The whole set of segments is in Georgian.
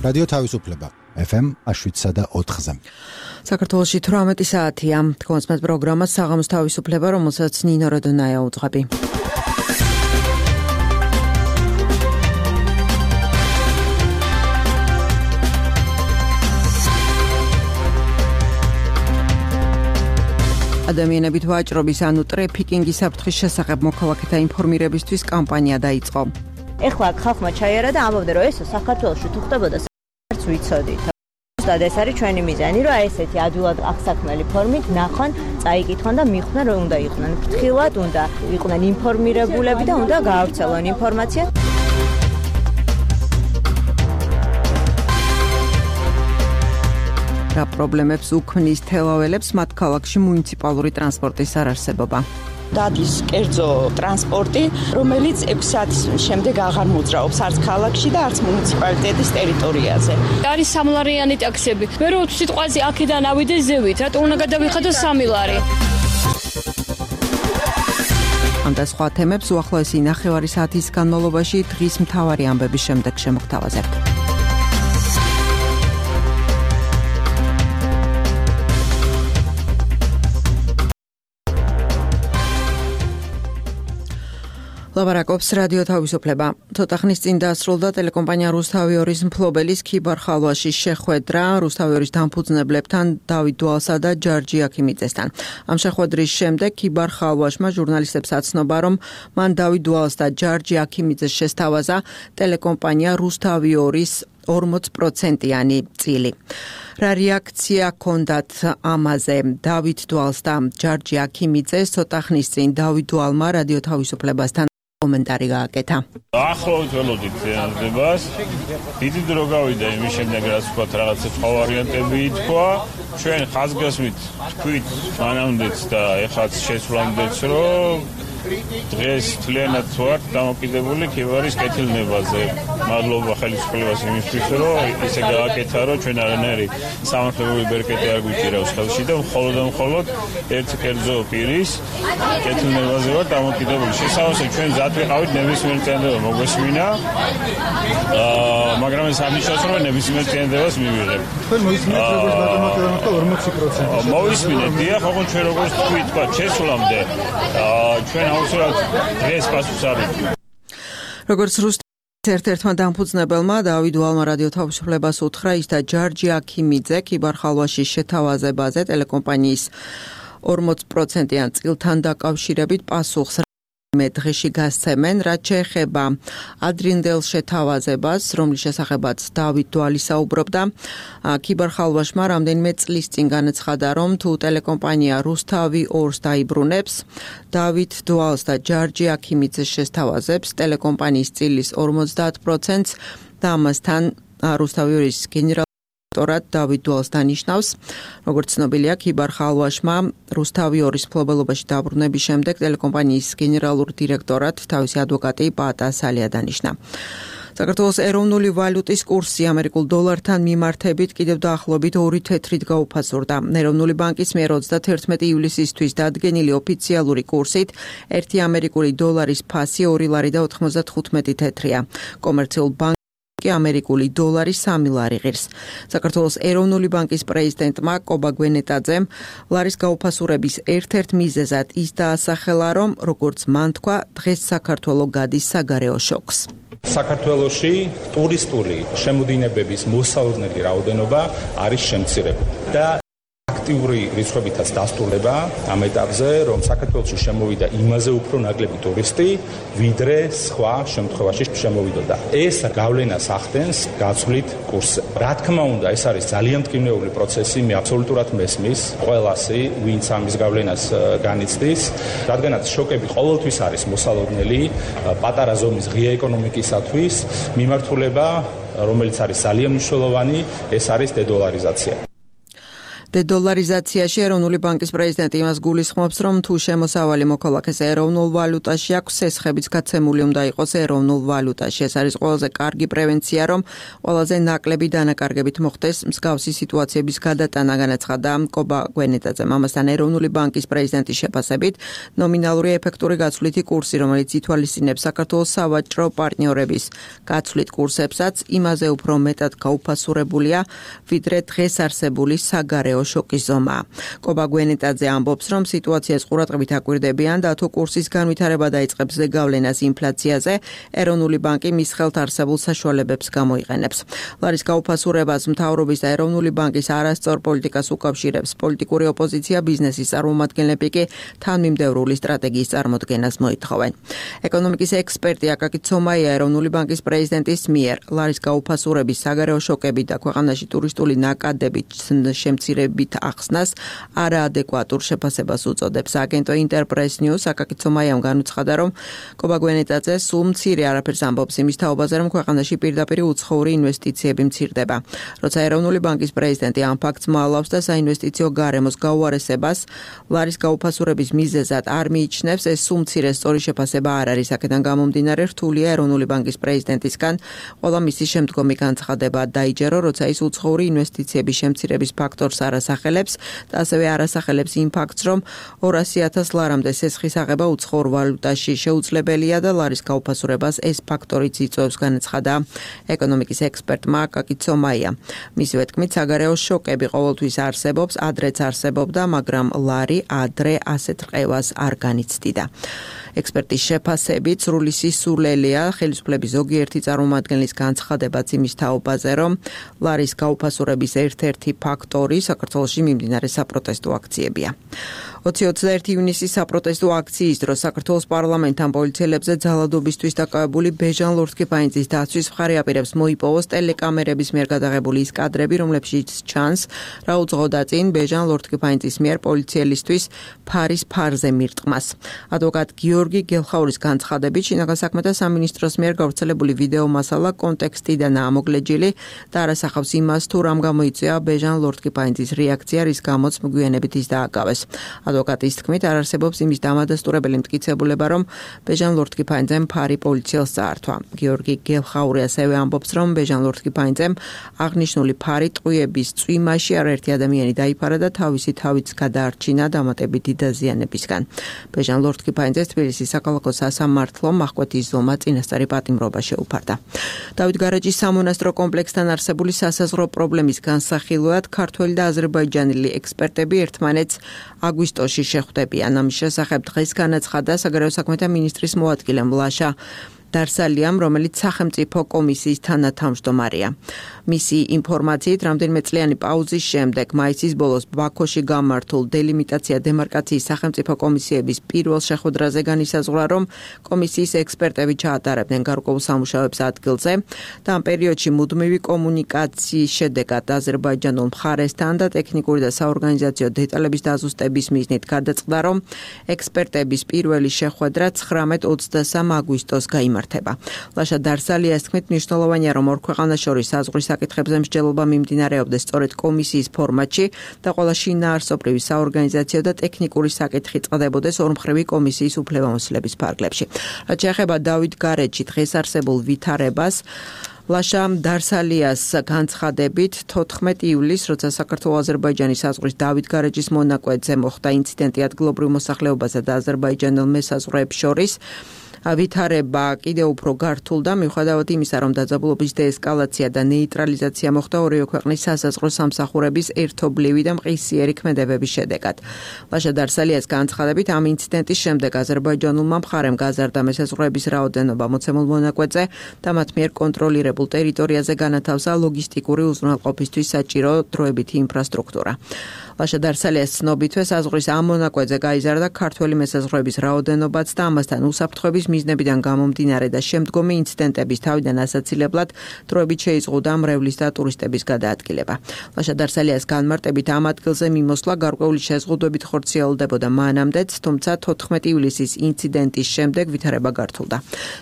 რადიო თავისუფლება FM 7.4-ზე. საქართველოში 18 საათია. თქვენს პროგრამას საღამოს თავისუფლება, რომელსაც ნინო როდონაია უძღვები. ადამიანებით ვაჭრობის ანუ ტრეფიკინგის საფრთხის შესახებ მოქალაქეთა ინფორმირებისთვის კამპანია დაიწყო. ეხლა ხალხმა ჩაიარა და ამბობდნენ, რომ ეს საქართველოში თუ ხდებოდა საერთოდ ვიცოდით. ზუსტად ეს არის ჩვენი მიზანი, რომ ესეთი ადვილად აღსაქმელი ფორმით ნახონ, წაიკითხონ და მიხვდნენ, რომ უნდა იყვნენ ფრთხილად, უნდა იყვნენ ინფორმირებულები და უნდა გაავრცელონ ინფორმაცია. რა პრობლემებს უქმნის თელაველებს მათ ქალაქში მუნიციპალური ტრანსპორტის არარსებობა. დადის კერძო ტრანსპორტი, რომელიც 6 საათის შემდეგ აღარ მოძრაობს არც ქალაქში და არც მუნიციპალიტეტის ტერიტორიაზე. არის სამლარიანი ტაქსები. მე რო სიტყვაზე აქედან ავიდე ზევით, რატო უნდა გადავიხადო 3 ლარი? ამ და სხვა თემებს უახლოესი ნახევარი საათის განმავლობაში დღის მთავარი ამბების შემდეგ შემოგთავაზებთ. ლაბარაკობს რადიო თავისუფლება. ცოტა ხნის წინ დაასრულდა ტელეკომპანია რუსთავი 2-ის მფლობელის ქიბარ ხალვაშის შეხვედრა რუსთავი 2-ის დამფუძნებლებთან დავით დვალსა და ჯარჯი აქიმიძესთან. ამ შეხვედრის შემდეგ ქიბარ ხალვაშმა ჟურნალისტებს აცნობა, რომ მან დავით დვალს და ჯარჯი აქიმიძეს შესთავაზა ტელეკომპანია რუსთავი 2-ის 40%-იანი წილი. რა რეაქცია ჰქონდათ ამაზე დავით დვალს და ჯარჯი აქიმიძეს ცოტა ხნის წინ დავით დვალმა რადიო თავისუფლებასთან კომენტარი გააკეთა. ახლავთ ველოდით ზიანებას. დიდი დრო გავიდა იმის შემდეგ, რაც ვთქვათ, რაღაცა სხვა ვარიანტები ითქვა. ჩვენ ხაზგასმით თქვით მანამდეც და ეხლაც შესვლამდეც, რომ დღეს თლიანად ვართ დამოკიდებული ქიბარის კეთილნებაზე. მადლობა ხელისუფლებას იმისთვის, რომ ისე გააკეთა, რომ ჩვენ არანაირი სამართლებრივი ბერკეტი არ გვიჭირავს ხელში და მხოლოდ ერთ კერძო პირის კეთილნებაზე ვართ დამოკიდებული. შესაბამისად ჩვენ მზად ვიყავით ნებისმიერ წინადადება მოგვესმინა, მაგრამ ეს არ ნიშნავს, რომ ნებისმიერ წინადადებას მივიღებ. თქვენ მოისმინეთ როგორც ბატონო 40%. მოვისმინეთ, დიახ, ოღონდ ჩვენ როგორც თქვა შესვლამდე ჩვენ აუცილებლად დღეს პასუხს არ ვიღებთ. როგორც ერთ-ერთმა დამფუძნებელმა დავით დვალმა რადიო თავისუფლებას უთხრა, ის და ჯარჯი აქიმიძე ქიბარ ხალვაშის შეთავაზებაზე ტელეკომპანიის 40%-იან წილთან დაკავშირებით პასუხს მე დღეში გასცემენ, რაც შეეხება ადრინდელ შეთავაზებას, რომლის შესახებაც დავით დვალი საუბრობდა. ქიბარ ხალვაშმა რამდენიმე წლის წინ განაცხადა, რომ თუ ტელეკომპანია რუსთავი 2-ს დაიბრუნებს, დავით დვალს და ჯარჯი აქიმიძეს შესთავაზებს ტელეკომპანიის წილის 50%-ს და ამასთან რუსთავი 2-ის გენერალ დავით დვალს დანიშნავს. როგორც ცნობილია, ქიბარ ხალვაშმა რუსთავი 2-ის მფლობელობაში დაბრუნების შემდეგ ტელეკომპანიის გენერალურ დირექტორად თავისი ადვოკატი პაატა სალია დანიშნა. საქართველოს ეროვნული ვალუტის კურსი ამერიკულ დოლართან მიმართებით კიდევ დაახლოებით 2 თეთრით გაუფასურდა. ეროვნული ბანკის მიერ 31 ივლისისთვის დადგენილი ოფიციალური კურსით 1 ამერიკული დოლარის ფასი 2 ლარი და 95 თეთრია. კომერციულ ამერიკული დოლარი 3 ლარი ღირს. საქართველოს ეროვნული ბანკის პრეზიდენტმა კობა გვენეტაძემ ლარის გაუფასურების ერთ-ერთ მიზეზად ის დაასახელა, რომ როგორც მან თქვა, დღეს საქართველო გადის საგარეო შოკს. საქართველოში ტურისტული შემოდინებების მოსალოდნელი რაოდენობა არის შემცირებული და აქტიური რიცხვებითაც დასტურდება ამ ეტაპზე, რომ საქართველოში შემოვიდა იმაზე უფრო ნაკლები ტურისტი, ვიდრე სხვა შემთხვევაში შემოვიდოდა. ეს გავლენას ახდენს გაცვლით კურსზე. რა თქმა უნდა, ეს არის ძალიან მტკივნეული პროცესი, მე აბსოლუტურად მესმის ყველასი, ვინც ამის გავლენას განიცდის, რადგანაც შოკები ყოველთვის არის მოსალოდნელი, პატარა ზომის ღია ეკონომიკისათვის მიმართულება, რომელიც არის ძალიან მნიშვნელოვანი, ეს არის დედოლარიზაცია. დედოლარიზაციაში ეროვნული ბანკის პრეზიდენტი იმას გულისხმობს, რომ თუ შემოსავალი მოქალაქეს ეროვნულ ვალუტაში აქვს, სესხებიც გაცემული უნდა იყოს ეროვნულ ვალუტაში. ეს არის ყველაზე კარგი პრევენცია, რომ ყველაზე ნაკლები დანაკარგებით მოხდეს მსგავსი სიტუაციების გადატანა, განაცხადა კობა გვენეტაძემ. ამასთან ეროვნული ბანკის პრეზიდენტის შეფასებით, ნომინალური ეფექტური გაცვლითი კურსი, რომელიც ითვალისწინებს საქართველოს სავაჭრო პარტნიორების გაცვლით კურსებსაც, იმაზე უფრო მეტად გაუფასურებულია, ვიდრე დღეს არსებული საგარეო შოკის ზომა. კობა გვენეტაძე ამბობს, რომ სიტუაციას ყურადღებით აკვირდებიან და თუ კურსის განვითარება დაიწყებს ზეგავლენას ინფლაციაზე, ეროვნული ბანკი მის ხელთ არსებულ საშუალებებს გამოიყენებს. ლარის გაუფასურებას მთავრობის და ეროვნული ბანკის არასწორ პოლიტიკას უკავშირებს პოლიტიკური ოპოზიცია, ბიზნესის წარმომადგენლები კი თანმიმდევრული სტრატეგიის წარმოდგენას მოითხოვენ. ეკონომიკის ექსპერტი აკაკი ცომაია ეროვნული ბანკის პრეზიდენტის მიერ ლარის გაუფასურების, საგარეო შოკებით და ქვეყანაში ტურისტული ნაკადებით შემცირებით ახსნას არაადეკვატურ შეფასებას უწოდებს. აგენტო ინტერპრეს ნიუს აკაკი ცომაიამ განუცხადა, რომ კობა გვენეტაძე სულ მცირე არაფერს ამბობს იმის თაობაზე, რომ ქვეყანაში პირდაპირ უცხოური ინვესტიციები მცირდება. როცა ეროვნული ბანკის პრეზიდენტი ამ ფაქტს მოალავს და საინვესტიციო გარემოს გაუარესებას ლარის გაუფასურების მიზეზად არ მიიჩნევს, ეს სულ მცირე სწორი შეფასება არ არის. აქედან გამომდინარე, რთულია ეროვნული ბანკის პრეზიდენტისგან ყველა მისი შემდგომი განცხადება დაიჯერო, როცა ის უცხოური ინვესტიციების შემცირების ფაქტორს არასახელებს და ასევე არასახელებს იმ ფაქტს, რომ 200,000 ლარამდე სესხის აღება უცხოურ ვალუტაში შეუძლებელია და ლარის გაუფასურებას ეს ფაქტორიც იწვევს, განაცხადა ეკონომიკის ექსპერტმა აკაკი ცომაია. მისივე თქმით, საგარეო შოკები ყოველთვის არსებობს, ადრეც არსებობდა, მაგრამ ლარი ადრე ასეთ რყევას არ განიცდიდა. ექსპერტის შეფასებით, სრული სისულელია ხელისუფლების ზოგიერთი წარმომადგენლის განცხადებაც იმის თაობაზე, რომ ლარის გაუფასურების ერთ-ერთი ფაქტორი საქართველოში მიმდინარე საპროტესტო აქციებია. 20-21 ივნისის საპროტესტო აქციის დროს საქართველოს პარლამენტთან პოლიციელებზე ძალადობისთვის დაკავებული ბეჟან ლორთქიფანიძის დაცვის მხარე აპირებს მოიპოვოს ტელეკამერების მიერ გადაღებული ის კადრები, რომლებშიც ჩანს, რა უძღოდა წინ ბეჟან ლორთქიფანიძის მიერ პოლიციელისთვის ფარის ფარზე მირტყმას. ადვოკატ გიორგი გელხაურის განცხადებით, შინაგან საქმეთა სამინისტროს მიერ გავრცელებული ვიდეო მასალა კონტექსტიდან ამოგლეჯილი და არასახავს იმას, თუ რამ გამოიწვია ბეჟან ლორთქიფანიძის რეაქცია, რის გამოც მოგვიანებით ის დააკავეს. ადვოკატის თქმით, არ არსებობს იმის დამადასტურებელი მტკიცებულება, რომ ბეჟან ლორთქიფანიძემ ფარი პოლიციელს წაართვა. გიორგი გელხაური ასევე ამბობს, რომ ბეჟან ლორთქიფანიძემ აღნიშნული ფარი ტყვიების წვიმაში არაერთი ადამიანი დაიფარა და თავისი თავიც გადაარჩინა დამატებითი დაზიანებისგან. ბეჟან ლორთქიფანიძეს თბილისის საქალაქო სასამართლომ აღკვეთის ზომა წინასწარი პატიმრობა შეუფარდა. დავით გარეჯის სამონასტრო კომპლექსთან არსებული სასაზღვრო პრობლემის განსახილვად ქართველი და აზერბაიჯანელი ექსპერტები ერთმანეთს აგვისტოში შეხვდებიან. ამის შესახებ დღეს განაცხადა საგარეო საქმეთა მინისტრის მოადგილე მლაშა დარსალიამ, რომელიც სახელმწიფო კომისიის თანათავმჯდომარეა. მისი ინფორმაციით, რამდენიმე წლიანი პაუზის შემდეგ მაისის ბოლოს ბაქოში გამართულ დელიმიტაცია დემარკაციის სახელმწიფო კომისიების პირველ შეხვედრაზე განისაზღვრა, რომ კომისიის ექსპერტები ჩაატარებდნენ გარკვეულ სამუშაოებს ადგილზე და ამ პერიოდში მუდმივი კომუნიკაციის შედეგად აზერბაიჯანულ მხარესთან და ტექნიკური და საორგანიზაციო დეტალების დაზუსტების მიზნით გადაწყდა, რომ ექსპერტების პირველი შეხვედრა 19-23 აგვისტოს გაიმართა. ლაშა დარსალიას თქმით, მნიშვნელოვანია, რომ ორ ქვეყანას შორის საზღვრის საკითხებზე მსჯელობა მიმდინარეობდეს სწორედ კომისიის ფორმატში და ყველა შინაარსობრივი საორგანიზაციო და ტექნიკური საკითხი წყდებოდეს ორმხრივი კომისიის უფლებამოსილების ფარგლებში. რაც შეეხება დავით გარეჯი დღეს არსებულ ვითარებას, ლაშა დარსალიას განცხადებით 14 ივლისს, როცა საქართველო-აზერბაიჯანის საზღვრის დავით გარეჯის მონაკვეთზე მოხდა ინციდენტი ადგილობრივ მოსახლეობასა და აზერბაიჯანელ მესაზღვრეებს შორის, ვითარება კიდევ უფრო გართულდა, მიუხედავად იმისა, რომ დაძაბულობის დეესკალაცია და ნეიტრალიზაცია მოხდა ორივე ქვეყნის სასაზღვრო სამსახურების ერთობლივი და მყისიერი ქმედებების შედეგად. ლაშა დარსალიას განცხადებით, ამ ინციდენტის შემდეგ აზერბაიჯანულმა მხარემ გაზარდა მესაზღვრეების რაოდენობა მოცემულ მონაკვეთზე და მათ მიერ კონტროლირებულ ტერიტორიაზე განათავსა ლოგისტიკური უზრუნველყოფისთვის საჭირო დროებითი ინფრასტრუქტურა. ლაშა დარსალიას ცნობითვე საზღვრის ამ მონაკვეთზე გაიზარდა ქართველი მესაზღვრეების რაოდენობაც და ამასთან უსაფრთხოების მიზნებიდან გამომდინარე და შემდგომი ინციდენტების თავიდან ასაცილებლად დროებით შეიზღუდა მრევლის და ტურისტების გადაადგილება. ლაშა დარსალიას განმარტებით ამ ადგილზე მიმოსვლა გარკვეული შეზღუდვებით ხორციელდებოდა მანამდეც, თუმცა 14 ივლისის ინციდენტის შემდეგ ვითარება გართულდა.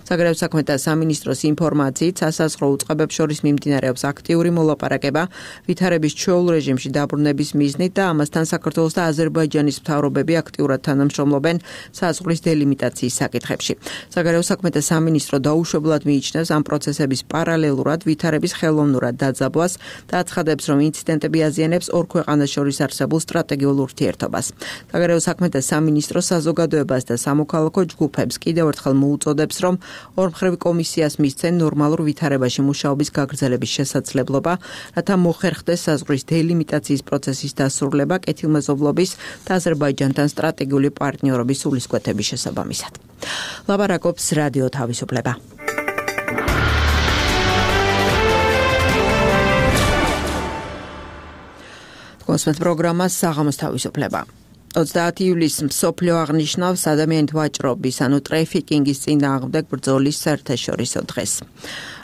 საგარეო საქმეთა სამინისტროს ინფორმაციით სასაზღვრო უწყებებს შორის მიმდინარეობს აქტიური მოლაპარაკება ვითარების ჩვეულ რეჟიმში დაბრუნების მიზნით და ამასთან საქართველოს და აზერბაიჯანის მთავრობები აქტიურად თანამშრომლობენ საზღვრის დელიმიტაციის საკითხებში. საგარეო საქმეთა სამინისტრო დაუშვებლად მიიჩნევს ამ პროცესების პარალელურად ვითარების ხელოვნურად დაძაბვას და აცხადებს, რომ ინციდენტები აზიანებს ორ ქვეყანას შორის არსებულ სტრატეგიულ ურთიერთობას. საგარეო საქმეთა სამინისტრო საზოგადოებას და სამოქალაქო ჯგუფებს კიდევ ერთხელ მოუწოდებს, რომ ორმხრივ კომისიას მისცენ ნორმალურ ვითარებაში მუშაობის გაგრძელების შესაძლებლობა, რათა მოხერხდეს საზღვრის დელიმიტაციის პროცესის დასრულება კეთილმეზობლობის და აზერბაიჯანთან სტრატეგიული პარტნიორობის სულისკვეთების შესაბამისად. ლაპარაკობს რადიო თავისუფლება. კონსმეთ პროგრამა საღამოს თავისუფლება. 30 ივლისს მსოფლიო აღნიშნავს ადამიანით ვაჭრობის, ანუ ტრეფიკინგის წინააღმდეგ ბრძოლის საერთაშორისო დღეს.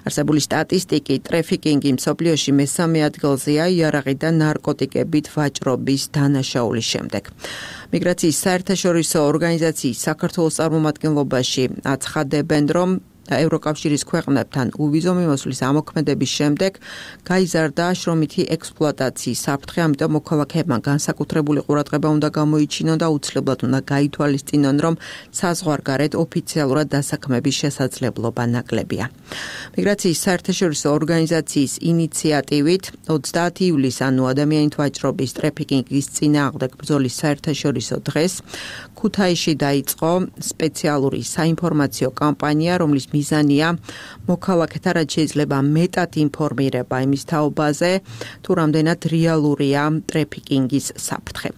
არსებული სტატისტიკით ტრეფიკინგი მსოფლიოში მესამე ადგილზეა იარაღი და ნარკოტიკებით ვაჭრობის დანაშაულის შემდეგ. მიგრაციის საერთაშორისო ორგანიზაციის საქართველოს წარმომადგენლობაში აცხადებენ, რომ ევროკავშირის ქვეყნებთან უვიზო მიმოსვლის ამოქმედების შემდეგ გაიზარდა შრომითი ექსპლუატაციის საფრთხე, ამიტომ მოქალაქეებმა განსაკუთრებული ყურადღება უნდა გამოიჩინონ და უცვლელად უნდა გაითვალისწინონ, რომ საზღვარგარეთ ოფიციალურად დასაქმების შესაძლებლობა ნაკლებია. მიგრაციის საერთაშორისო ორგანიზაციის ინიციატივით 30 ივლისს, ანუ ადამიანით ვაჭრობის ტრეფიკინგის წინააღმდეგ ბრძოლის საერთაშორისო დღეს ქუთაისში დაიწყო სპეციალური საინფორმაციო კამპანია, რომლის მიზანია მოქალაქეთა რაც შეიძლება მეტად ინფორმირება იმის თაობაზე, თუ რამდენად რეალურია ტრეფიკინგის საფრთხე.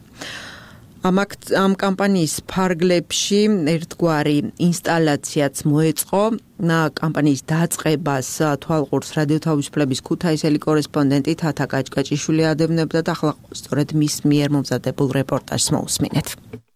ამ კამპანიის ფარგლებში ერთგვარი ინსტალაციაც მოეწყო. კამპანიის დაწყებას თვალყურს რადიო თავისუფლების ქუთაისელი კორესპონდენტი თათა კაჭკაჭიშვილი ადევნებდა და ახლა სწორედ მის მიერ მომზადებულ რეპორტაჟს მოусმინეთ.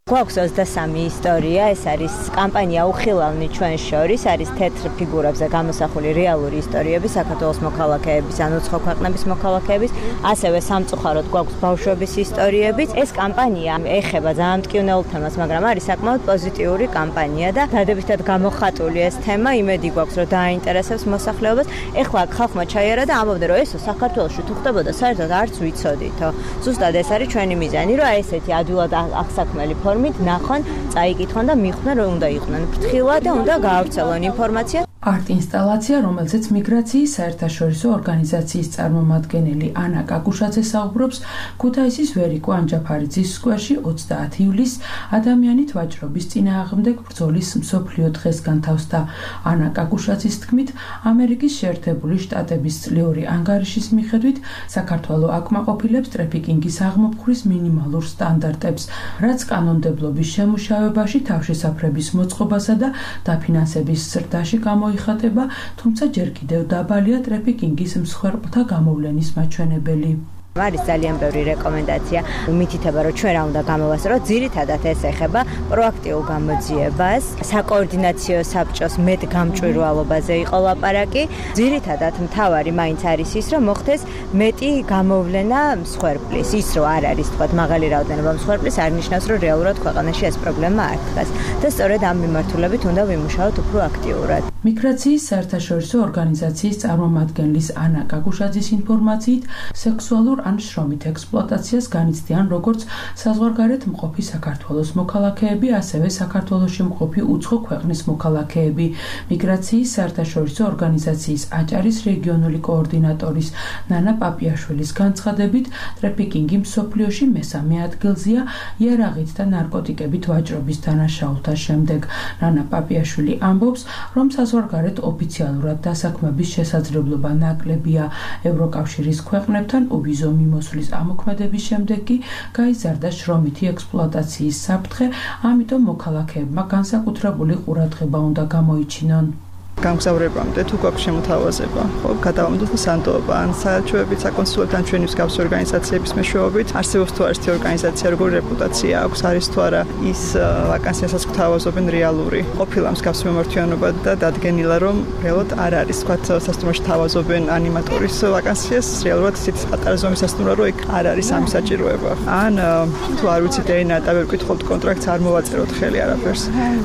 გვაქვს 23 ისტორია, ეს არის კამპანია უხილავნი ჩვენ შორის, არის თეთრ ფიგურებზე გამოსახული რეალური ისტორიები საქართველოს მოქალაქეების, ანუ სხვა ქვეყნების მოქალაქეების, ასევე სამწუხაროდ გვაქვს ბავშვების ისტორიებიც. ეს კამპანია ეხება ძალიან მტკივნეულ თემას, მაგრამ არის საკმაოდ პოზიტიური კამპანია და დადებითად გამოხატული ეს თემა, იმედი გვაქვს, რომ დააინტერესებს მოსახლეობას. ეხლა ხალხმა ჩაიარა და ამბობდნენ, რომ ესო საქართველოში თუ ხდებოდა, საერთოდ არც ვიცოდითო. ზუსტად ეს არის ჩვენი მიზანი, რომ აი ესეთი ადვილად აღსაქმელი ნახონ, წაიკითხონ და მიხვდნენ, რომ უნდა იყვნენ ფრთხილად და უნდა გაავრცელონ ინფორმაცია. არტ-ინსტალაცია, რომელზეც მიგრაციის საერთაშორისო ორგანიზაციის წარმომადგენელი ანა კაკუშაძე საუბრობს, ქუთაისის ვერიკო ანჯაფარიძის სკვერში 30 ივლისს ადამიანით ვაჭრობის წინააღმდეგ ბრძოლის მსოფლიო დღეს განთავსდა. ანა კაკუშაძის თქმით, ამერიკის შეერთებული შტატების წლიური ანგარიშის მიხედვით საქართველო აკმაყოფილებს ტრეფიკინგის აღმოფხვრის მინიმალურ სტანდარტებს, რაც კანონმდებლობის შემუშავებაში თავშესაფრების მოწყობასა და დაფინანსების ზრდაში გამოიხატება, თუმცა ჯერ კიდევ დაბალია ტრეფიკინგის მსხვერპლთა გამოვლენის მაჩვენებელი. არის ძალიან ბევრი რეკომენდაცია, მითითება, რომ ჩვენ რა უნდა გამოვასწოროთ, ძირითადად ეს ეხება პროაქტიულ გამოძიებას, საკოორდინაციო საბჭოს მეტგამჭვირვალობაზე იყო ლაპარაკი. ძირითადად მთავარი მაინც არის ის, რომ მოხდეს მეტი გამოვლენა მსხვერპლის. ის რომ არ არის თქვა მაღალი რაოდენობა მსხვერპლის, არ ნიშნავს, რომ რეალურად ქვეყანაში ეს პრობლემა არ დგას. და სწორედ ამ მიმართულებით უნდა ვიმუშაოთ უფრო აქტიურად. მიგრაციის საერთაშორისო ორგანიზაციის წარმომადგენლის ანა კაკუშაძის ინფორმაციით, სექსუალურ ან შრომით ექსპლუატაციას განიცდიან როგორც საზღვარგარეთ მყოფი საქართველოს მოქალაქეები, ასევე საქართველოში მყოფი უცხო ქვეყნის მოქალაქეები. მიგრაციის საერთაშორისო ორგანიზაციის აჭარის რეგიონული კოორდინატორის ნანა პაპიაშვილის განცხადებით, ტრეფიკინგი მსოფლიოში მესამე ადგილზეა იარაღით და ნარკოტიკებით ვაჭრობის დანაშაულთა შემდეგ. ნანა პაპიაშვილი ამბობს, რომ საზღვარგარეთ ოფიციალურად დასაქმების შესაძლებლობა ნაკლებია. ევროკავშირის ქვეყნებთან უვიზო მიმოსვლის ამოქმედების შემდეგ კი გაიზარდა შრომითი ექსპლუატაციის საფრთხე, ამიტომ მოქალაქეებმა განსაკუთრებული ყურადღება უნდა გამოიჩინონ. გამგზავრებამდე თუ გვაქვს შემოთავაზება, ხო, გადავამოდოთ სანდოობა ან საელჩოებით, საკონსულოებთან ჩვენი მსგავსი ორგანიზაციების მეშვეობით, არსებობს თუ არის ორგანიზაცია, როგორი რეპუტაცია აქვს, არის თუ არა ის ვაკანსიასაც გვთავაზობენ რეალური. ყოფილა მსგავსი მიმართულება და დადგენილა, რომ რეალურად არ არის, თქვათ, სასტუმროში თავაზობენ ანიმატორის ვაკანსიას, რეალურად ისეთი პატარა ზომის სასტუმრო, რომ იქ არ არის ამის საჭიროება. ან თუ არ ვიცით ენა, და ვერ გკითხოთ კონტრაქტს, არ მოვაწეროთ ხელი არაფერს.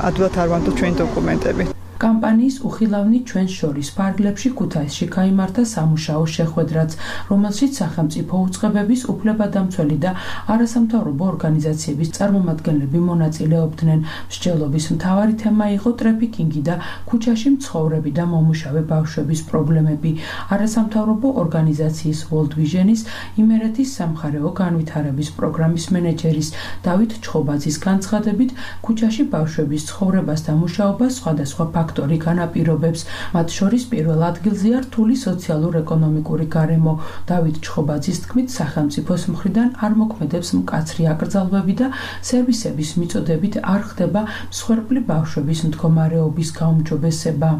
ადვილად არ ვანდოთ ჩვენი დოკუმენტები. კამპანიის უხილავნი ჩვენს შორის ფარგლებში ქუთაისში გაიმართა სამუშაო შეხვედრაც, რომელშიც სახელმწიფო უწყებების, უფლებადამცველი და არასამთავრობო ორგანიზაციების წარმომადგენლები მონაწილეობდნენ. მსჯელობის მთავარი თემა იყო ტრაფიკინგი და ქუჩაში მცხოვრები და მომუშავე ბავშვების პრობლემები. არასამთავრობო ორგანიზაციის World Vision-ის იმერეთის სამხარეო განვითარების პროგრამის მენეჯერის დავით ჩხობაძის განცხადებით, ქუჩაში ბავშვების ცხოვრებას და მუშაობას სხვადასხვა ფაქტორი განაპირობებს. მათ შორის პირველ ადგილზეა რთული სოციალურ-ეკონომიკური გარემო. დავით ჩხობაძის თქმით, სახელმწიფოს მხრიდან არ მოქმედებს მკაცრი აკრძალვები და სერვისების მიწოდებით არ ხდება მსხვერპლი ბავშვების მდგომარეობის გაუმჯობესება.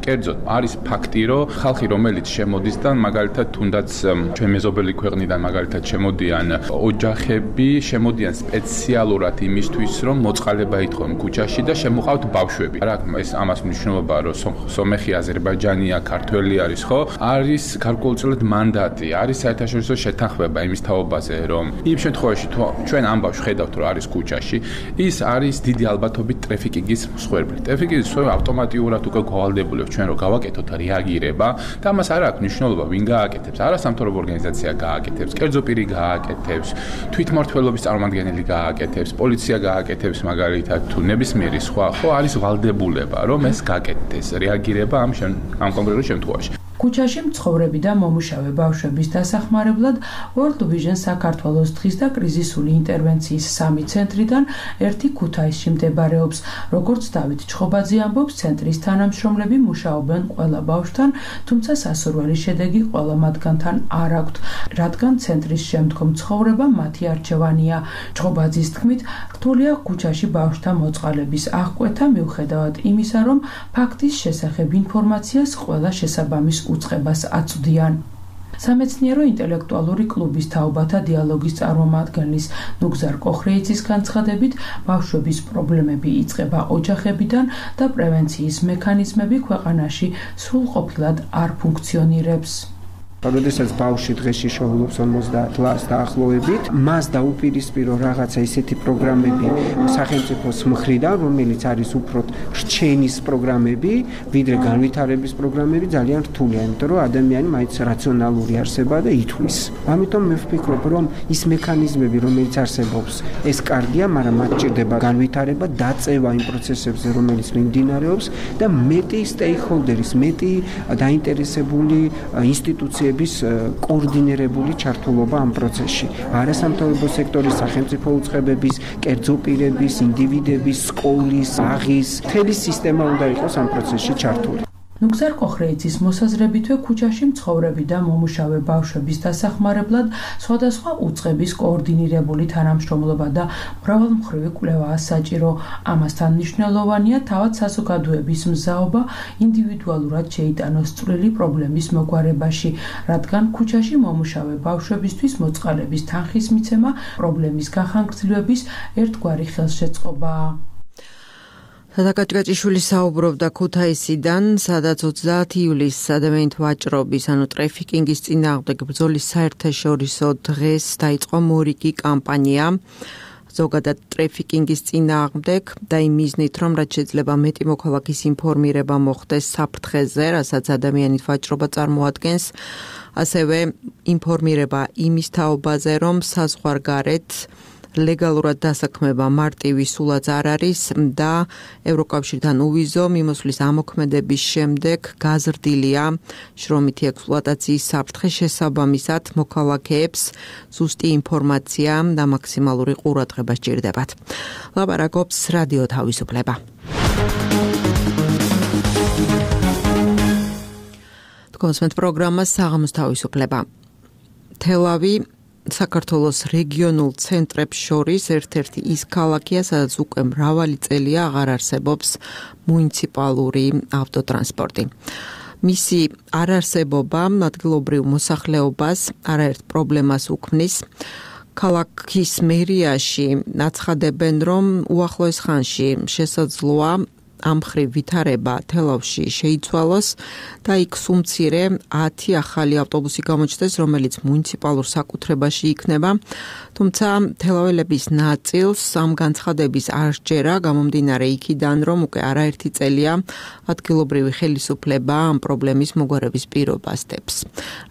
კერძოდ არის ფაქტი, რომ ხალხი, რომელიც შემოდის და მაგალითად თუნდაც ჩვენ მეზობელი ქვეყნიდან მაგალითად შემოდიან ოჯახები, შემოდიან სპეციალურად იმისთვის, რომ მოწყალება ითხოვენ ქუჩაში და შემოყავთ ბავშვები. რა ეს ამას მნიშვნელობა, რომ სომეხი, აზერბაიჯანია, ქართველი არის, ხო? არის გარკვეულწილად მანდატი, არის საერთაშორისო შეთანხმება იმის თაობაზე, რომ იმ შემთხვევაში თუ ჩვენ ამ ბავშვს ხედავთ, რომ არის ქუჩაში, ის არის დიდი ალბათობით ტრაფიკინგის მსხვერპლი. ტრაფიკინგის მსხვერპლი ავტომატურად უკვე გვალდებული ჩვენ რო გავაკეთოთ რეაგირება და ამას არ აქვს მნიშვნელობა ვინ გააკეთებს, არასამთავრობო ორგანიზაცია გააკეთებს, კერძო პირი გააკეთებს, თვითმმართველობის წარმომადგენელი გააკეთებს, პოლიცია გააკეთებს მაგალითად თუ ნებისმიერი სხვა, ხო არის ვალდებულება რომ ეს გააკეთდეს რეაგირება ამ კონკრეტულ შემთხვევაში. ქუჩაში მცხოვრები და მომუშავე ბავშვების დასახმარებლად World Vision საქართველოს დღის და კრიზისული ინტერვენციის 3 ცენტრიდან ერთი ქუთაისში მდებარეობს. როგორც დავით ჩხობაძე ამბობს, ცენტრის თანამშრომლები მუშაობენ ყველა ბავშვთან, თუმცა სასურველი შედეგი ყველა მათგანთან არ აქვთ, რადგან ცენტრის შემდგომ ცხოვრება მათი არჩევანია. ჩხობაძის თქმით, რთულია ქუჩაში ბავშვთა მოწყალების აღკვეთა მიუხედავად იმისა, რომ ფაქტის შესახებ ინფორმაციას ყველა შესაბამის უწყებას აწვდიან. სამეცნიერო ინტელექტუალური კლუბის თაობათა დიალოგის წარმომადგენლის ნუგზარ კოხრეიძის განცხადებით, ბავშვების პრობლემები იწყება ოჯახებიდან და პრევენციის მექანიზმები ქვეყანაში სრულყოფილად არ ფუნქციონირებს. როდესაც ბავშვი დღეში შოულობს 50 წელს დაახლოებით, მას დაუპირისპირო რაღაცა ისეთი პროგრამები სახელმწიფოს მხრიდან, რომელიც არის უფრო რჩენის პროგრამები, ვიდრე განვითარების პროგრამები, ძალიან რთულია, იმიტომ რომ ადამიანი მაინც რაციონალური არსება და ითვლის. ამიტომ მე ვფიქრობ, რომ ის მექანიზმები, რომელიც არსებობს, ეს კარგია, მაგრამ მათ ჭირდება განვითარება, დაწევა იმ პროცესებზე, რომელიც მიმდინარეობს და მეტი სტეიქჰოლდერის, მეტი დაინტერესებული ინსტიტუციების კოორდინირებული ჩართულობა ამ პროცესში. არასამთავრობო სექტორის, სახელმწიფო უწყებების, კერძო პირების, ინდივიდების, სკოლის, აღის, მთელი სისტემა უნდა იყოს ამ პროცესში ჩართული. ნუგზარ კოხრეიძის მოსაზრებითვე ქუჩაში მცხოვრები და მომუშავე ბავშვების დასახმარებლად სხვადასხვა უწყების კოორდინირებული თანამშრომლობა და მრავალმხრივი კვლევაა საჭირო. ამასთან მნიშვნელოვანია თავად საზოგადოების მზაობა ინდივიდუალურად შეიტანოს წვლილი პრობლემის მოგვარებაში, რადგან ქუჩაში მომუშავე ბავშვებისთვის მოწყალების თანხის მიცემა პრობლემის გახანგრძლივების ერთგვარი ხელშეწყობაა. სადაკაჭკაჭიშვილი საუბრობდა ქუთაისიდან, სადაც 30 ივლისს ადამიანით ვაჭრობის, ანუ ტრაფიკინგის წინააღმდეგ ბრძოლის საერთაშორისო დღეს დაიწყო მორიგი კამპანია. ზოგადად ტრაფიკინგის წინააღმდეგ და იმ მიზნით, რომ რაც შეიძლება მეტი მოქალაქის ინფორმირება მოხდეს საფრთხეზე, რასაც ადამიანით ვაჭრობა წარმოადგენს, ასევე ინფორმირება იმის თაობაზე, რომ საზღვარგარეთ ლეგალურად დასაქმება მარტივი სულაც არ არის და ევროკავშირთან უვიზო მიმოსვლის ამოქმედების შემდეგ გაზრდილია შრომითი ექსპლუატაციის საფრთხე შესაბამისად მოქალაქეებს ზუსტი ინფორმაცია და მაქსიმალური ყურადღება სჭირდებათ. ლაპარაკობს რადიო თავისუფლება. თქვენს პროგრამას საღამოს თავისუფლება. თელავი საქართველოს რეგიონულ ცენტრებს შორის ერთ-ერთი ის ქალაქია, სადაც უკვე მრავალი წელია აღარ არსებობს მუნიციპალური ავტოტრანსპორტი. მისი არარსებობა ადგილობრივ მოსახლეობას არაერთ პრობლემას უქმნის. ქალაქის მერიაში აცხადებენ, რომ უახლოეს ხანში შესაძლოა ამ მხრივ ვითარება თელავში შეიცვალოს და იქ სუმცირე 10 ახალი ავტობუსი გამოჩნდეს, რომელიც მუნიციპალურ საკუთრებაში იქნება. თუმცა თელაველების ნაწილს ამ განცხადების არ სჯერა, გამომდინარე იქიდან, რომ უკვე არაერთი წელია ადგილობრივი ხელისუფლება ამ პრობლემის მოგვარების პირობას დებს.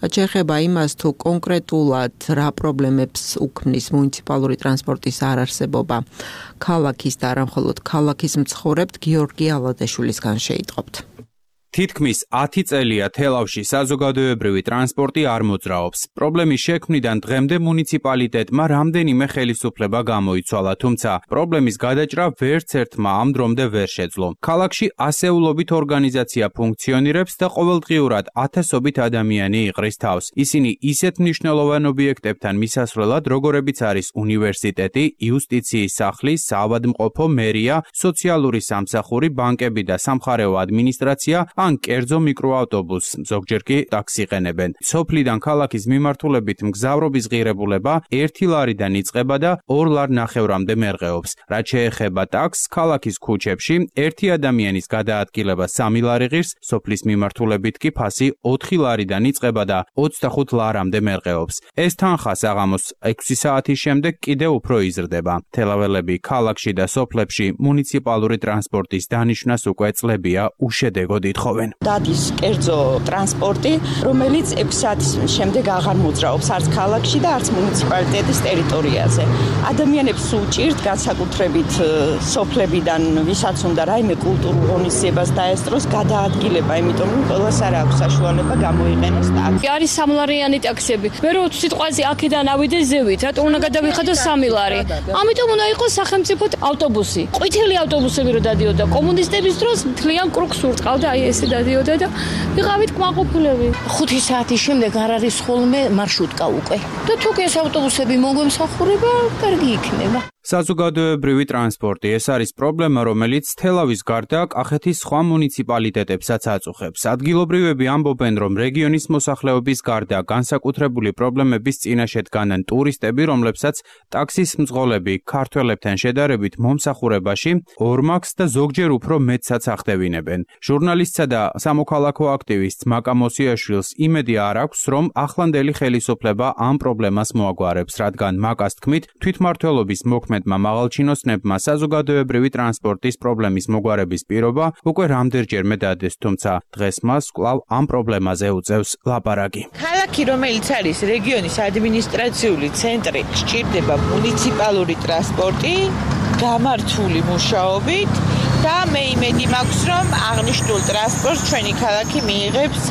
რაც შეეხება იმას, თუ კონკრეტულად რა პრობლემებს უქმნის მუნიციპალური ტრანსპორტის არარსებობა ქალაქის და არა მხოლოდ ქალაქის მცხოვრებთ, გიორგი ალადაშვილისგან შეიტყობთ. თითქმის 10 წელია თელავში საზოგადოებრივი ტრანსპორტი არ მოძრაობს. პრობლემის შექმნიდან დღემდე მუნიციპალიტეტმა რამდენიმე ხელისუფლება გამოიცვალა, თუმცა პრობლემის გადაჭრა ვერც ერთმა ამ დრომდე ვერ შეძლო. ქალაქში ასეულობით ორგანიზაცია ფუნქციონირებს და ყოველდღიურად ათასობით ადამიანი იყრის თავს. ისინი ისეთ მნიშვნელოვან ობიექტებთან მისასვლელად, როგორებიც არის უნივერსიტეტი, იუსტიციის სახლი, საავადმყოფო, მერია, სოციალური სამსახური, ბანკები და სამხარეო ადმინისტრაცია ან კერძო მიკროავტობუსს, ზოგჯერ კი ტაქსი ყენებენ. სოფლიდან ქალაქის მიმართულებით მგზავრობის ღირებულება 1 ლარიდან იწყება და 2 ლარ ნახევრამდე მერყეობს. რაც შეეხება ტაქსს, ქალაქის ქუჩებში 1 ადამიანის გადაადგილება 3 ლარი ღირს, სოფლის მიმართულებით კი ფასი 4 ლარიდან იწყება და 25 ლარამდე მერყეობს. ეს თანხა საღამოს 6 საათის შემდეგ კიდევ უფრო იზრდება. თელაველები ქალაქში და სოფლებში მუნიციპალური ტრანსპორტის დანიშვნას უკვე წლებია უშედეგოდ ითხოვენ. დადის კერძო ტრანსპორტი, რომელიც 6 საათის შემდეგ აღარ მოძრაობს არც ქალაქში და არც მუნიციპალიტეტის ტერიტორიაზე. ადამიანებს უჭირთ განსაკუთრებით სოფლებიდან, ვისაც უნდა რაიმე კულტურულ ღონისძიებას დაესწროს, გადაადგილება, იმიტომ რომ ყველას არ აქვს საშუალება გამოიყენოს ტაქსი. არის 3 ლარიანი ტაქსები. მე რო სიტყვაზე აქედან ავიდე ზევით, რატომ უნდა გადავიხადო 3 ლარი? ამიტომ უნდა იყოს სახელმწიფო ავტობუსი. ყვითელი ავტობუსები რო დადიოდა კომუნისტების დროს, მთლიან კრუგს ურწყავდა აი ესე დადიოდა და ვიყავით კმაყოფილები. 5 საათის შემდეგ არ არის ხოლმე მარშრუტკა უკვე. და თუ ეს ავტობუსები მოგვემსახურება, კარგი იქნება. საზოგადოებრივი ტრანსპორტი ეს არის პრობლემა, რომელიც თელავის გარდა კახეთის სხვა მუნიციპალიტეტებსაც აწუხებს. ადგილობრივები ამბობენ, რომ რეგიონის მოსახლეობის გარდა განსაკუთრებული პრობლემების წინაშე დგანან ტურისტები, რომლებსაც ტაქსის მძღოლები ქართველებთან შედარებით მომსახურებაში ორმაგს და ზოგჯერ უფრო მეტსაც ახდევინებენ. ჟურნალისტსა და სამოქალაქო აქტივისტს მაკა მოსიაშვილს იმედი არ აქვს, რომ ახლანდელი ხელისუფლება ამ პრობლემას მოაგვარებს, რადგან მაკას თქმით, თვითმმართველობის მოქმედმა მაღალჩინოსნებმა საზოგადოებრივი ტრანსპორტის პრობლემის მოგვარების პირობა უკვე რამდენჯერმე დადეს, თუმცა დღეს მას კვლავ ამ პრობლემაზე უწევს ლაპარაკი. ქალაქი, რომელიც არის რეგიონის ადმინისტრაციული ცენტრი, სჭირდება მუნიციპალური ტრანსპორტი გამართული მუშაობით და მე იმედი მაქვს, რომ აღნიშნულ ტრანსპორტს ჩვენი ქალაქი მიიღებს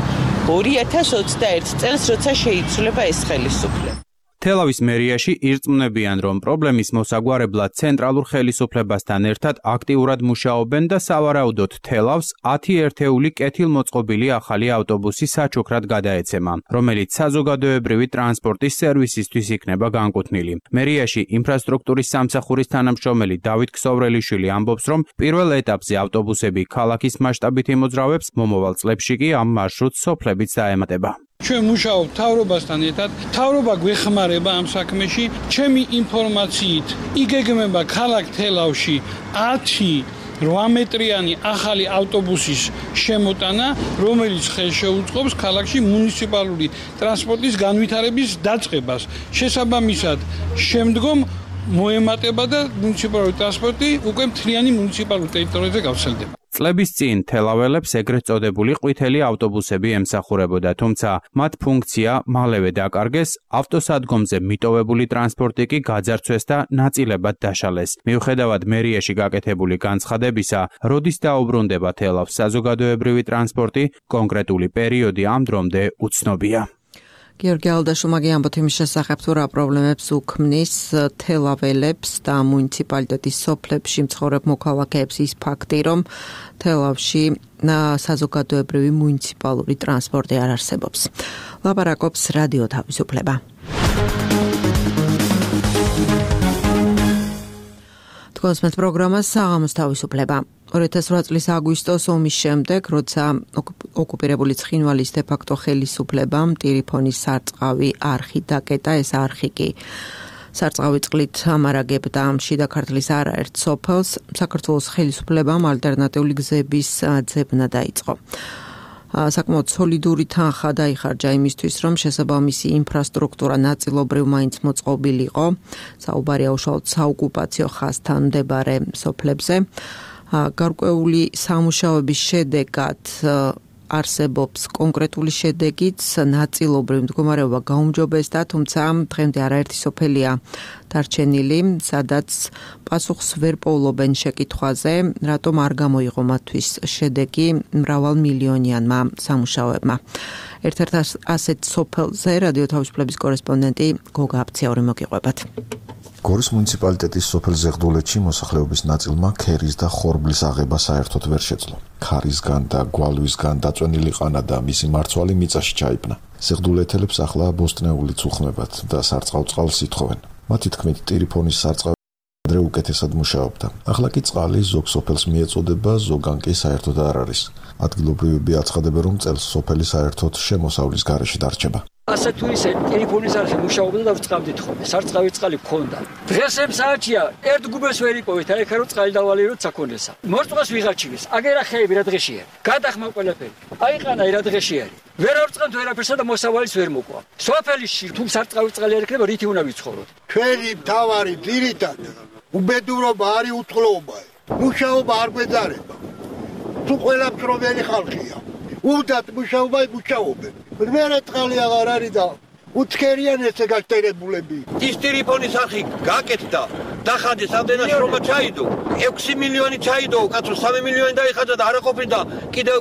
2021 წელს, როცა შეიცვლება ეს ხელისუფლება. თელავის მერიაში ირწმუნებიან, რომ პრობლემის მოსაგვარებლად ცენტრალურ ხელისუფლებასთან ერთად აქტიურად მუშაობენ და სავარაუდოდ თელავს 10 ერთეული კეთილმოწყობილი ახალი ავტობუსი საჩუქრად გადაეცემა, რომელიც საზოგადოებრივი ტრანსპორტის სერვისისთვის იქნება განკუთვნილი. მერიაში ინფრასტრუქტურის სამსახურის თანამშრომელი დავით ქსოვრელიშვილი ამბობს, რომ პირველ ეტაპზე ავტობუსები ქალაქის მასშტაბით იმოძრავებს, მომავალ წლებში კი ამ მარშრუტს სოფლებიც დაემატება. ჩვენ მუშაობთ თავრობასთან ერთად. თავრობა გვეხმარება ამ საქმეში. ჩემი ინფორმაციით იგეგმება ქალაქ თელავში 10 8 მეტრიანი ახალი ავტობუსის შემოტანა, რომელიც ხელშეუწყობს ქალაქში მუნიციპალური ტრანსპორტის განვითარების დაწყებას. შესაბამისად, შემდგომ მოემატება და მუნიციპალური ტრანსპორტი უკვე მთლიანი მუნიციპალურ ტერიტორიაზე გავრცელდება. წლების წინ თელაველებს ეგრეთ წოდებული ყვითელი ავტობუსები ემსახურებოდა, თუმცა მათ ფუნქცია მალევე დაკარგეს, ავტოსადგომზე მიტოვებული ტრანსპორტი კი გაძარცვეს და ნაწილებად დაშალეს. მიუხედავად მერიაში გაკეთებული განცხადებისა, როდის დაუბრუნდება თელავს საზოგადოებრივი ტრანსპორტი, კონკრეტული პერიოდი ამ დრომდე უცნობია. გიორგი ალადაშვილმა ამბობთ იმის შესახებ, თუ რა პრობლემებს უქმნის თელაველებს და მუნიციპალიტეტის სოფლებში მცხოვრებ მოქალაქეებს ის ფაქტი, რომ თელავში საზოგადოებრივი მუნიციპალური ტრანსპორტი არ არსებობს. ლაპარაკობს რადიო თავისუფლება. თქვენს პროგრამას საღამოს თავისუფლება. 2008 წლის აგვისტოს ომის შემდეგ, როცა ოკუპირებული ცხინვალის დე-ფაქტო ხელისუფლებამ ტირიფონის სარწყავი არხი დაკეტა, ეს არხი კი სარწყავი წყლით ამარაგებდა შიდა ქართლის არაერთ სოფელს, საქართველოს ხელისუფლებამ ალტერნატიული გზების ძებნა დაიწყო. საკმაოდ სოლიდური თანხა დაიხარჯა იმისთვის, რომ შესაბამისი ინფრასტრუქტურა ნაწილობრივ მაინც მოწყობილიყო, საუბარია უშუალოდ საოკუპაციო ხაზთან მდებარე სოფლებზე. გარკვეული სამუშაოების შედეგად არსებობს კონკრეტული შედეგიც, ნაწილობრივ მდგომარეობა გაუმჯობესდა, თუმცა დღემდე არაერთი სოფელია დარჩენილი, სადაც პასუხს ვერ პოულობენ შეკითხვაზე, რატომ არ გამოიღო მათთვის შედეგი მრავალმილიონიანმა სამუშაოებმა. ერთ-ერთ ასეთ სოფელზე რადიო თავისუფლების კორესპონდენტი გოგა აფციური მოგიყვებათ. გორის მუნიციპალიტეტის სოფელ ზეღდულეთში მოსახლეობის ნაწილმა ქერის და ხორბლის აღება საერთოდ ვერ შეძლო. ქარისგან და გვალვისგან დაწვენილი ყანა და მისი მარცვალი მიწაში ჩაიბნა. ზეღდულეთელებს ახლა ბოსტნეულიც უხმებათ და სარწყავ წყალს ითხოვენ. მათი თქმით, ტირიფონის სარწყავი ადრე უკეთესად მუშაობდა. ახლა კი წყალი ზოგ სოფელს მიეწოდება, ზოგან კი საერთოდ არ არის. ადგილობრივები აცხადებენ, რომ წელს სოფელი საერთოდ შემოსავლის გარეშე დარჩება. ასე თუ ისე ტელეფონის არხი მუშაობდა და ვწყავდით ხოლმე. სარწყავი წყალი გქონდა. დღეს ამ საათია ერთ გუბეს ვერ იპოვეთ, აი ხარო წყალი დავალიეროთ საქონლესა. მორწყოს ვიღარჩიეს. აგერა ხეები რა დღეშია. გადახმა ყველაფერი. აიყანა რა დღეშია. ვერ ავწყავთ ვერაფერსა და მოსავალიც ვერ მოყვა. სოფელში თუ სარწყავი წყალი არ იქნება, რითი უნდა ვიცხოვროთ? ჩვენი მთავარი ძირითადი უბედურობა არის უთხრობა. მუშაობა არ გვეძარება. თუ ყველა მშრომელი ხალხია. უდათ მუშაობა მუშაობენ. მერე წყალი აღარ არის და უცხერიან ესე გაშტერებულები. ის ტირიფონის არხი გაკეთდა, დახადეს ამდენად შრომა ჩაიდო. 6 მილიონი ჩაიდო, კაცო 3 მილიონი დაიხადა და არაყოფილი და კიდევ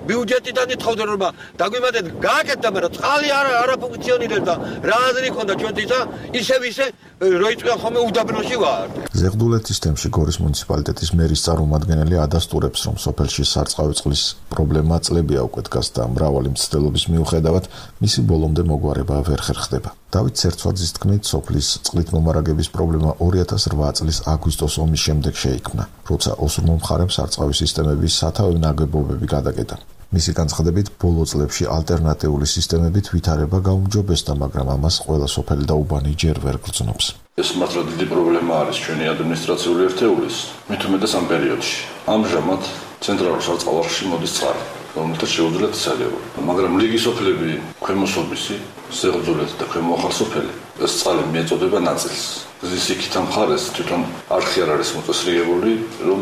ბიუჯეტიდან ითხოვდნენ რომ დაგვიმატეთ, გააკეთდა, მაგრამ წყალი არ ფუნქციონირებდა. რა აზრი ქონდა ჩვენთვის და ისე როიწვია ხოლმე უდაბნოში ვარ. ზეღდულეთის თემში გორის მუნიციპალიტეტის მერის წარმომადგენელი ადასტურებს, რომ სოფელში სარწყავი წყლის პრობლემა წლებია უკვე დგას და მრავალი მცდელობის მიუხედავად მისი ბოლომდე მოგვარება ვერ ხერხდება. დავით ცერცვაძის თქმით, სოფლის წყლით მომარაგების პრობლემა 2008 წლის აგვისტოს ომის შემდეგ შეიქმნა, როცა ოსურმო მხარემ სარწყავი სისტემების სათავე ნაგებობები გადაკეტა. მისი განცხადებით, ბოლო წლებში ალტერნატიული სისტემებით ვითარება გაუმჯობესდა, მაგრამ ამას ყველა სოფელი და უბანი ჯერ ვერ გრძნობს. ეს მართლა დიდი პრობლემა არის ჩვენი ადმინისტრაციული ერთეულის, მით უმეტეს ამ პერიოდში. ამჟამად ცენტრალურ სარწყავში მოდის წყალი, რომელთაც შეუძლიათ სალევო. მაგრამ ლიგი სოფლები, ქვემოსოფისი, ზეღდულეთი და ქვემო ახალსოფელი ეს წყალი მიეწოდება ნაწილს. გზის იქით ამ მხარეს თვითონ არხი არ არის მოწესრიგებული, რომ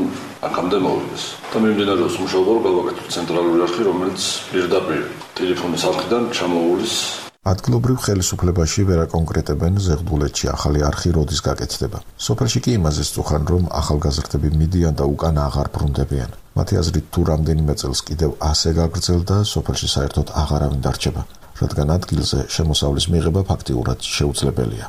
აქამდე მოვიდეს. და მიმდინარეობს მუშაობა, რომ გავაკეთოთ ცენტრალური არხი, რომელიც პირდაპირ ტელეფონის არხიდან ჩამოუვლის. ადგილობრივ ხელისუფლებაში ვერ აკონკრეტებენ ზეღდულეთში ახალი არხი როდის გაკეთდება. სოფელში კი იმაზე სწუხან, რომ ახალგაზრდები მიდიან და უკან აღარ ბრუნდებიან. მათი აზრით, თუ რამდენიმე წელს კიდევ ასე გაგრძელდა, სოფელში საერთოდ აღარავინ დარჩება, რადგან ადგილზე შემოსავლის მიღება ფაქტიურად შეუძლებელია.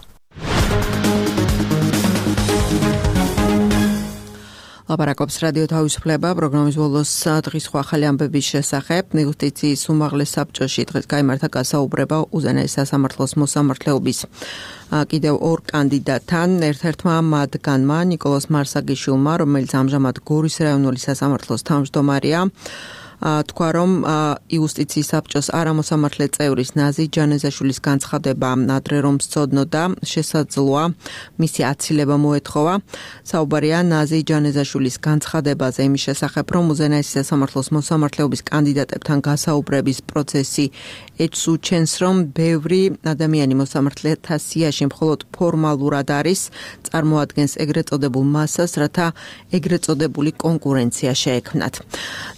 ლაპარაკობს რადიო თავისუფლება პროგრამის ბოლოს დღის სხვა ახალი ამბების შესახებ. ნეგოციაციის უმაღლეს საბჭოში დღეს გაიმართა გასაუბრება უზენაეს სასამართლოს მოსამართლეობის კიდევ ორ კანდიდატთან. ერთ-ერთმა მათგანმა ნიკოლოზ მარსაგიშვილმა, რომელიც ამჟამად გორის რაიონული სასამართლოს თავმჯდომარეა, თქვა, რომ იუსტიციის საბჭოს არამოსამართლე წევრის ნაზი ჯანეზაშვილის განცხადება ადრე რომ სცოდნოდა, შესაძლოა მისი აცილება მოეთხოვა. საუბარია ნაზი ჯანეზაშვილის განცხადებაზე იმის შესახებ, რომ უზენაესი სასამართლოს მოსამართლეობის კანდიდატებთან გასაუბრების პროცესი ეჭვს უჩენს, რომ ბევრი ადამიანი მოსამართლეთა სიაში მხოლოდ ფორმალურად არის, წარმოადგენს ეგრეთ წოდებულ მასას, რათა ეგრეთ წოდებული კონკურენცია შეექმნათ.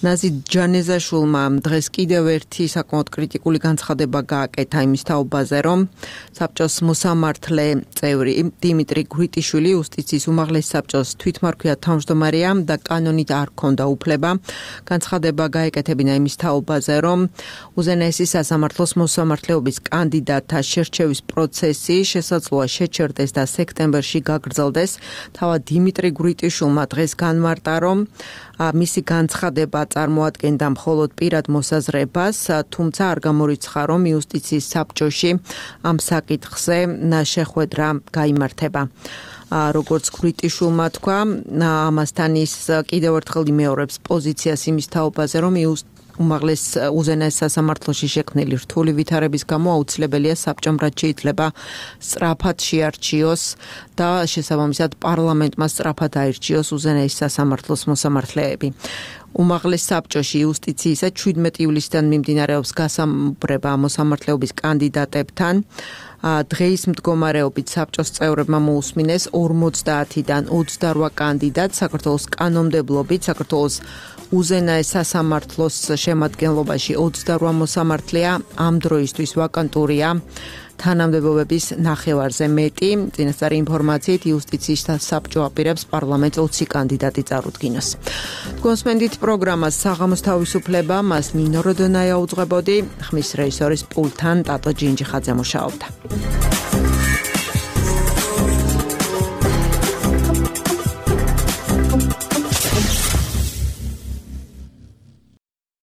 ნაზი ჯანეზაშვილმა დღეს კიდევ ერთი საკმაოდ კრიტიკული განცხადება გააკეთა იმის თაობაზე, რომ საბჭოს მოსამართლე წევრი დიმიტრი გვრიტიშვილი იუსტიციის უმაღლეს საბჭოს თვითმარქვია თავმჯდომარეა და კანონით არ ჰქონდა უფლება. განცხადება გაეკეთებინა იმის თაობაზე, რომ უზენაესი სასამართლოს მოსამართლეობის კანდიდატთა შერჩევის პროცესი შესაძლოა შეჩერდეს და სექტემბერში გაგრძელდეს. თავად დიმიტრი გვრიტიშვილმა დღეს განმარტა, რომ მისი განცხადება წარმოადგენდა მხოლოდ პირად მოსაზრებას, თუმცა არ გამორიცხა, რომ იუსტიციის საბჭოში ამ საკითხზე შეხვედრა გაიმართება. როგორც ქრიტიშულმა თქვა, ამასთან ის კიდევ ერთხელ იმეორებს პოზიციას იმის თაობაზე, რომ უმაღლეს უზენაეს სასამართლოში შექმნილი რთული ვითარების გამო აუცილებელია საბჭომ რაც შეიძლება სწრაფად შეარჩიოს და შესაბამისად პარლამენტმა სწრაფად აირჩიოს უზენაეს სასამართლოს მოსამართლეები. უმაღლეს საბჭოში იუსტიციისა 17 ივლისიდან მიმდინარეობს გასამუბრება მოსამართლეობის კანდიდატებთან. დღეის მდგომარეობით საბჭოს წევრებმა მოусმინეს 50-დან 28 კანდიდატს საქართველოს კანონმდებლობით, საქართველოს უზენაეს სასამართლოს შემადგენლობაში 28 მოსამართლეა, ამ დროისთვის ვაკანტურია თანამდებობების ნახევარზე მეტი. წინასწარი ინფორმაციით იუსტიციის საბჭო აპირებს პარლამენტს 20 კანდიდატი წარუდგინოს. გონსმენდით პროგრამას საღამოს თავისუფლება, მას ნინო როდონაია უძღვებოდი, ხმის რეჟისორის პულტთან ტატო ჯინჯიხაძე მუშაობდა.